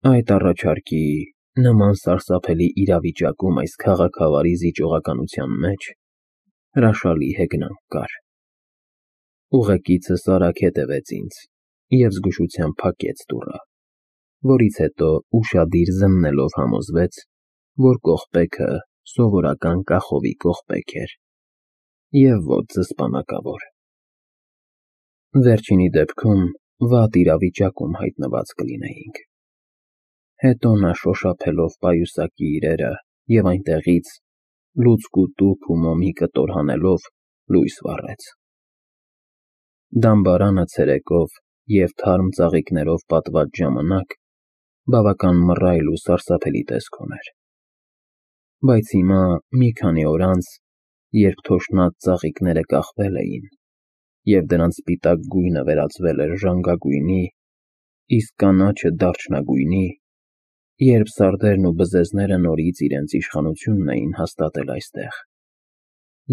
Այդ առաջարկի նման սարսափելի իրավիճակում այս քաղաքավարի զիջողականության մեջ հրաշալի հեգնանք կար։ Ուղեկիցս արագ հետևեց ինձ և զգուշությամբ փակեց դուռը, որից հետո ուշադիր զննելով համոզվեց, որ կողպեքը սովորական կախովի կողպեք էր և ոչ զսպանակավոր։ Վերջինի դեպքում վատ իրավիճակում հայտնված կլինեինք։ Հետո նա շոշափելով պայուսակի իրերը և այնտեղից, լուցկ ու տուփ ու մոմի կտոր հանելով, լույս վառեց։ Դամբարանը ցերեկով և թարմ ծաղիկներով պատված ժամանակ բավական մռայլ ու սարսափելի տեսք ուներ։ Բայց հիմա, մի քանի օր անց, երբ թոշնած ծաղիկները կախվել էին, և դրանց սպիտակ գույնը վերածվել էր ժանգագույնի, իսկ կանաչը դարչնագույնի, երբ սարդերն ու բզեզները նորից իրենց իշխանությունն էին հաստատել այստեղ,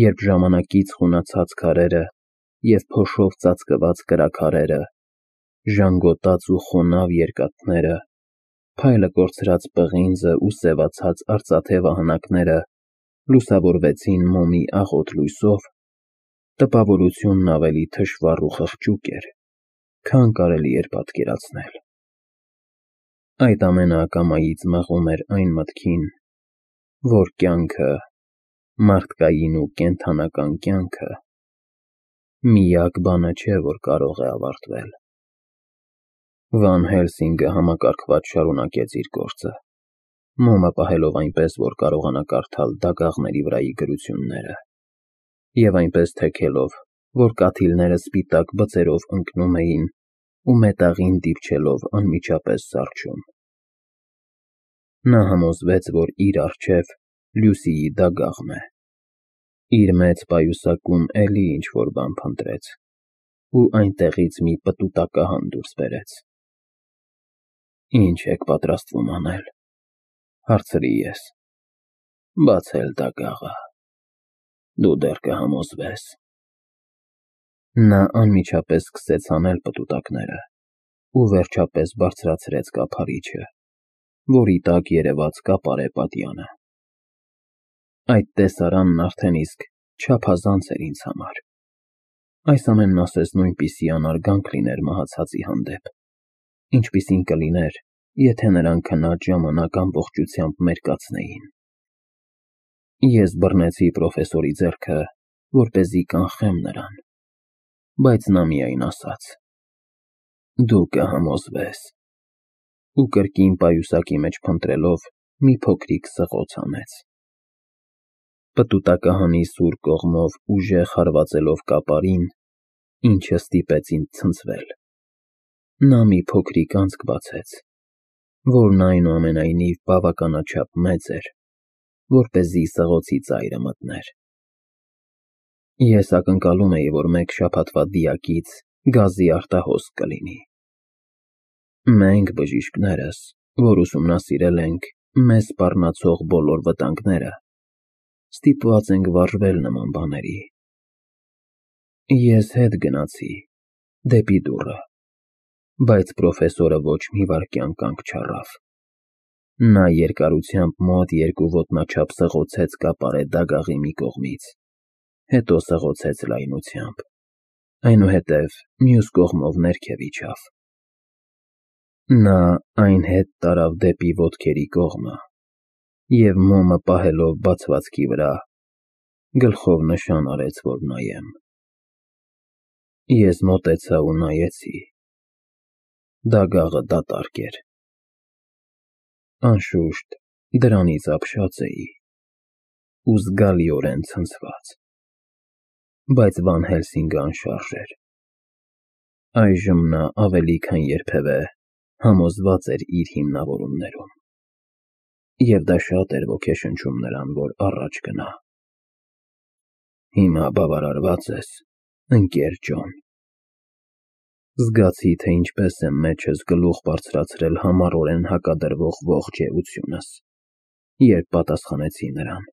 երբ ժամանակից խունացած քարերը և փոշով ծածկված կրաքարերը, ժանգոտած ու խոնավ երկաթները, փայլը կորցրած պղինձը ու սևացած արծաթե վահանակները լուսավորվեցին մոմի աղոտ լույսով, տպավորությունն ավելի թշվառ ու խղճուկ էր, քան կարելի էր պատկերացնել։ Այդ ամենը ակամայից մղում էր այն մտքին, որ կյանքը, մարդկային ու կենդանական կյանքը, միակ բանը չէ, որ կարող է ավարտվել։ Վան Հելսինգը համակարգված շարունակեց իր գործը, մոմը պահելով այնպես, որ կարողանա կարդալ դագաղների վրայի գրությունները, և այնպես թեքելով, որ կաթիլները սպիտակ բծերով ընկնում էին ու մետաղին դիպչելով անմիջապես սառչում։ Նա համոզվեց, որ իր առջև Լյուսիի դագաղն է, իր մեծ պայուսակում էլի ինչ-որ բան փնտրեց ու այնտեղից մի պտուտակահան դուրս բերեց։ «Ինչ եք պատրաստվում անել», հարցրի ես։ «Բացել դագաղը, դու դեռ կհամոզվես»։ Նա անմիջապես սկսեց հանել պտուտակները ու վերջապես բարձրացրեց կափարիչը, որի տակ երևաց կապարե պատյանը։ Այդ տեսարանն արդեն իսկ չափազանց էր ինձ համար։ Այս ամենն ասես նույնպիսի անարգանք լիներ մահացածի հանդեպ, ինչպիսին կլիներ, եթե նրան քնած ժամանակ ամբողջությամբ մերկացնեին։ Ես բռնեցի պրոֆեսորի ձեռքը, որպեսզի կանխեմ նրան, բայց նա միայն ասաց. «Դու կհամոզվես», ու կրկին պայուսակի մեջ փնտրելով մի փոքրիկ սղոց հանեց։ Պտուտակահանի սուր կողմով ուժեղ հարվածելով կապարին, ինչը ստիպեց ինձ ցնցվել, նա մի փոքրիկ անցք բացեց, որն այնուամենայնիվ բավականաչափ մեծ էր, որպեսզի սղոցի ծայրը մտներ։ Ես ակնկալում էի, որ մեկ շաբաթվա դիակից գազի արտահոսք կլինի։ Մենք, բժիշկներս, որ ուսումնասիրել ենք մեզ սպառնացող բոլոր վտանգները, ստիպված ենք վարժվել նման բաների։ Ես հետ գնացի դեպի դուռը, բայց պրոֆեսորը ոչ մի վայրկյան կանգ չառավ։ Նա երկարությամբ մոտ 2 ոտնաչափ սղոցեց կապարե դագաղի մի կողմից, հետո սղոցեց լայնությամբ, այնուհետև մյուս կողմով ներքև իջավ։ Նա այն հետ տարավ դեպի ոտքերի կողմը և մոմը պահելով բացվածքի վրա, գլխով նշան արեց, որ նայեմ։ Ես մոտեցա ու նայեցի։ Դագաղը դատարկ էր։ Անշուշտ, դրանից ապշած էի ու զգալիորեն ցնցված, բայց Վան Հելսինգը անշարժ էր։ Այժմ նա ավելի քան երբևէ համոզված էր իր հիմնավորումներում, և դա շատ էր ոգեշնչում նրան, որ առաջ գնա։ Հիմա բավարարվա՞ծ ես, ընկեր Ջոն։ Զգացի, թե ինչպես է մեջս գլուխ բարձրացրել համառորեն հակադրվող ողջ էությունս, երբ պատասխանեցի նրան։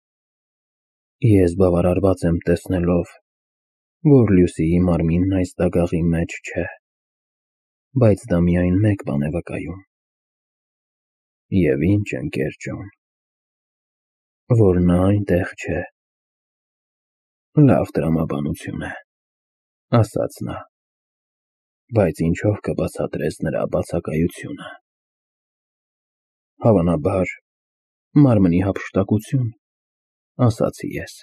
Ես բավարարված եմ տեսնելով, որ Լյուսիի մարմինն այս դագաղի մեջ չէ, բայց դա միայն մեկ բան է վկայում։ Եվ ինչ ընկեր Ջոն, որ նա այնտեղ չէ։ Լավ տրամաբանություն է, ասաց նա, բայց ինչով կբացատրես նրա բացակայությունը։ Հավանաբար, մարմնի հափշտակություն, ասացի ես։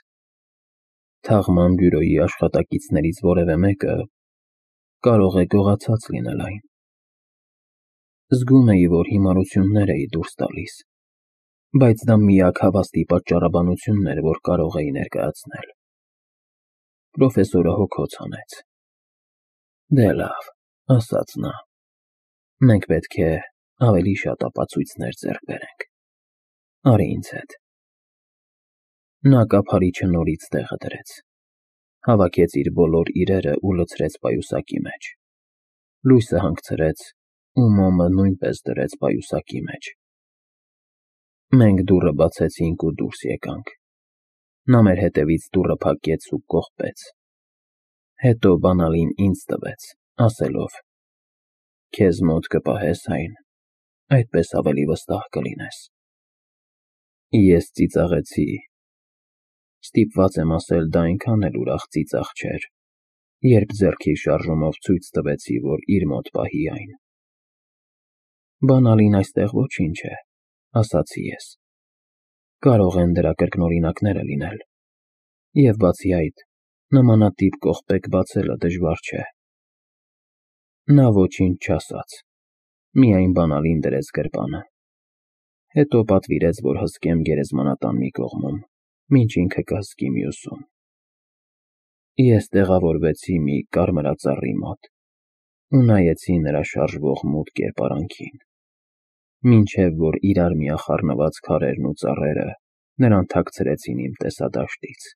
Թաղման բյուրոյի աշխատակիցներից որևէ մեկը կարող է գողացած լինել այն։ Զգում էի, որ հիմարություններ էի դուրս տալիս, բայց դա միակ հավաստի պատճառաբանությունն էր, որ կարող էի ներկայացնել։ Պրոֆեսորը հոգոց հանեց։ Դե լավ, ասաց նա, մենք պետք է ավելի շատ ապացույցներ ձեռք բերենք։ Արի ինձ հետ։ Նա կափարիչը նորից տեղը դրեց, հավաքեց իր բոլոր իրերը ու լցրեց պայուսակի մեջ, լույսը հանգցրեց ու մոմը նույնպես դրեց պայուսակի մեջ։ Մենք դուռը բացեցինք ու դուրս եկանք։ Նա մեր հետևից դուռը փակեց ու կողպեց։ Հետո բանալին ինձ տվեց, ասելով. Քեզ մոտ կպահես այն, այդպես ավելի վստահ կլինես։ Ես ծիծաղեցի։ Ստիպված եմ ասել, դա այնքան էլ ուրախ ծիծաղ չէր, երբ ձեռքի շարժումով ցույց տվեցի, որ իր մոտ պահի այն։ Բանալին այստեղ ոչինչ է, ասացի ես։ Կարող են դրա կրկնօրինակները լինել։ Եվ բացի այդ, նմանատիպ կողպեք բացելը դժվար չէ։ Նա ոչինչ չասաց, միայն բանալին դրեց գրպանը։ Հետո պատվիրեց, որ հսկեմ գերեզմանատան մի կողմում, մինչ ինքը կհսկի մյուսում։ Ես տեղավորվեցի մի կարմրածառի մոտ ու նայեցի նրա շարժվող մութ կերպարանքին, մինչև որ իրար միախառնված քարերն ու ծառերը նրան թաքցրեցին իմ տեսադաշտից։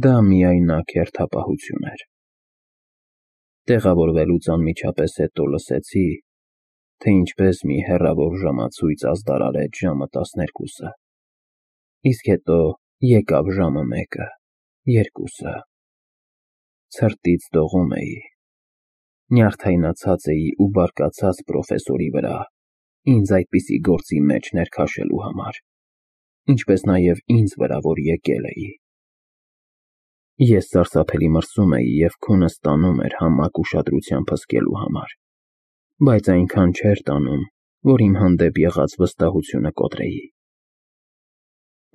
Դա միայնակ հերթապահություն էր։ Տեղավորվելուց անմիջապես հետո լսեցի, թե ինչպես մի հեռավոր ժամացույց ազդարարեց ժամը 12-ը, իսկ հետո եկավ ժամը 1-ը, 2-ը։ Ցրտից դողում էի, նյարդայնացած էի ու բարկացած պրոֆեսորի վրա, ինձ այդպիսի գործի մեջ ներքաշելու համար, ինչպես նաև ինձ վրա, որ եկել էի։ Ես սարսափելի մրսում էի և քունս տանում էր համակ ուշադրությամբ հսկելու համար, բայց այնքան չէր տանում, որ իմ հանդեպ եղած վստահությունը կոտրեի։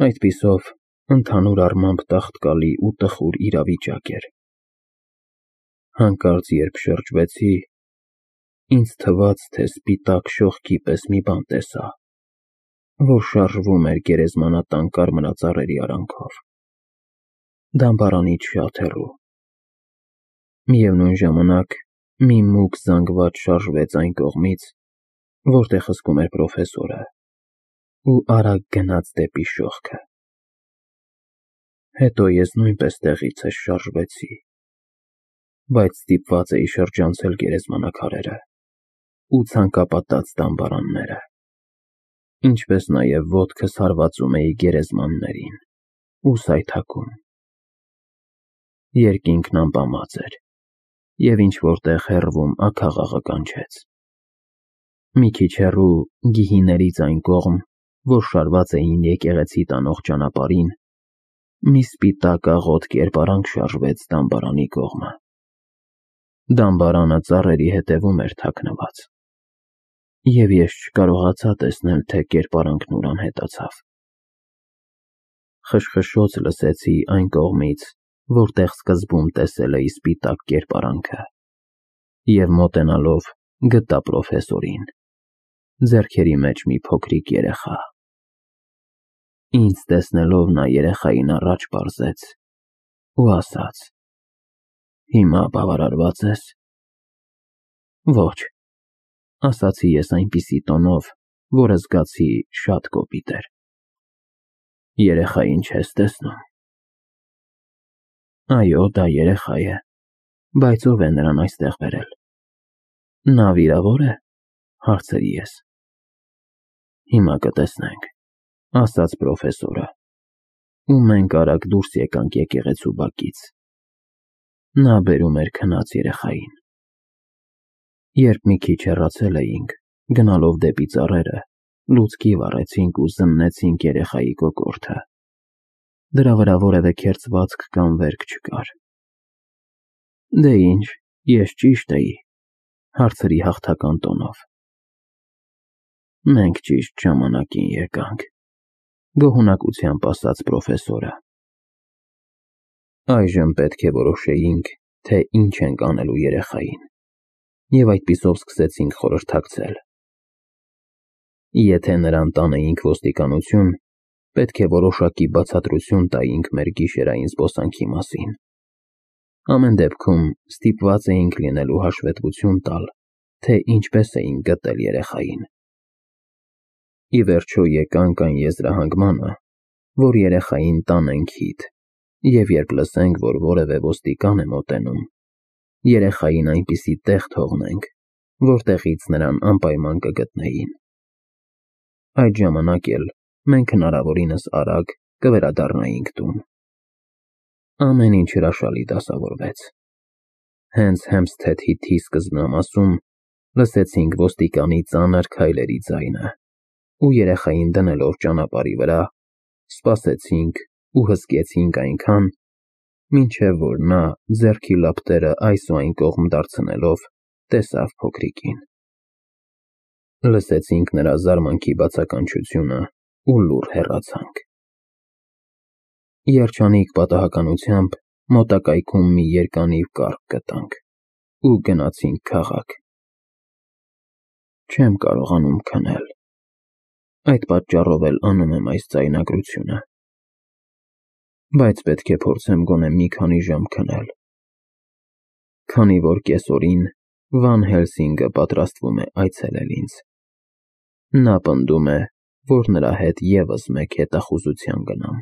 Այդպիսով, ընդհանուր առմամբ տաղտկալի ու տխուր իրավիճակ էր։ Հանկարծ երբ շրջվեցի, ինձ թվաց, թե սպիտակ շողքի պես մի բան տեսա, որ շարժվում էր գերեզմանատան կարմրածառերի արանքով, դամբարանից շատ հեռու։ Միևնույն ժամանակ մի մուգ զանգված շարժվեց այն կողմից, որտեղ հսկում էր պրոֆեսորը, ու արագ գնաց դեպի շողքը։ Հետո ես նույնպես տեղիցս շարժվեցի, բայց ստիպված էի շրջանցել գերեզմանակարերը ու ցանկապատած դամբարանները, ինչպես նաև ոտքս հարվածում էի գերեզմաններին ու սայթաքում։ Երկինքն ամպամած էր, և ինչ-որտեղ հեռվում աքաղաղը կանչեց։ Մի քիչ հեռու, գիհիներից այն կողմ, որ շարված էին եկեղեցի տանող ճանապարհին, մի սպիտակ աղոտ կերպարանք շարժվեց դամբարանի կողմը։ Դամբարանը ծառերի հետևում էր թաքնված, և ես չկարողացա տեսնել, թե կերպարանքն ուր անհետացավ։ Խշխշոց լսեցի այն կողմից, որտեղ սկզբում տեսել էի սպիտակ կերպարանքը, և մոտենալով գտա պրոֆեսորին, ձեռքերի մեջ մի փոքրիկ երեխա։ Ինձ տեսնելով նա երեխային առաջ պարզեց ու ասաց. Հիմա բավարարվա՞ծ ես։ Ոչ, ասացի ես այնպիսի տոնով, որը զգացի շատ կոպիտ էր։ Երեխային չես տեսնում։ Այո, դա երեխա է, բայց ով է նրան այստեղ բերել։ Նա վիրավոր է, հարցրի ես։ Հիմա կտեսնենք, ասաց պրոֆեսորը, ու մենք արագ դուրս եկանք եկեղեցու բակից։ Նա բերում էր քնած երեխային։ Երբ մի քիչ հեռացել էինք, գնալով դեպի ծառերը, Լուցկի վառեցինք ու զննեցինք երեխայի կոկորդը։ Դրա վրա որևէ քերծվածք կամ վերք չկար։ Դե ինչ, ես ճիշտ էի, հարցրի հաղթական տոնով։ Մենք ճիշտ ժամանակին եկանք, գոհունակությամբ ասաց պրոֆեսորը։ Այժմ պետք է որոշեինք, թե ինչ ենք անելու երեխային, և այդպիսով սկսեցինք խորհրդակցել։ Եթե նրան տանեինք ոստիկանություն, պետք է որոշակի բացատրություն տայինք մեր գիշերային զբոսանքի մասին։ Ամեն դեպքում ստիպված էինք լինելու հաշվետվություն տալ, թե ինչպես էինք գտել երեխային։ Ի վերջո եկանք այն եզրահանգմանը, որ երեխային տանենք հիթ, և երբ լսենք, որ որևէ ոստիկան է մոտենում, երեխային այնպիսի տեղ թողնենք, որտեղից նրան անպայման կգտնեին։ Այդ ժամանակ էլ մենք հնարավորինս արագ կվերադառնայինք տուն։ Ամեն ինչ հրաշալի դասավորվեց։ Հենց Հեմփսթեդ-Հիթի սկզբնամասում լսեցինք ոստիկանի ծանր քայլերի ձայնը, ու երեխային դնելով ճանապարհի վրա, սպասեցինք ու հսկեցինք այնքան, մինչև որ նա ձեռքի լապտերը այս ու այն կողմ դարձնելով տեսավ փոքրիկին։ Լսեցինք նրա զարմանքի բացականչությունը ու լուռ հեռացանք։ Երջանիկ պատահականությամբ մոտակայքում մի երկանիվ կառք գտանք ու գնացինք քաղաք։ Չեմ կարողանում քնել, այդ պատճառով էլ անում եմ այս ձայնագրությունը, բայց պետք է փորձեմ գոնե մի քանի ժամ քնել, քանի որ կեսօրին Վան Հելսինգը պատրաստվում է այցելել ինձ։ Նա պնդում է, որ նրա հետ ևս մեկ հետախուզության գնամ։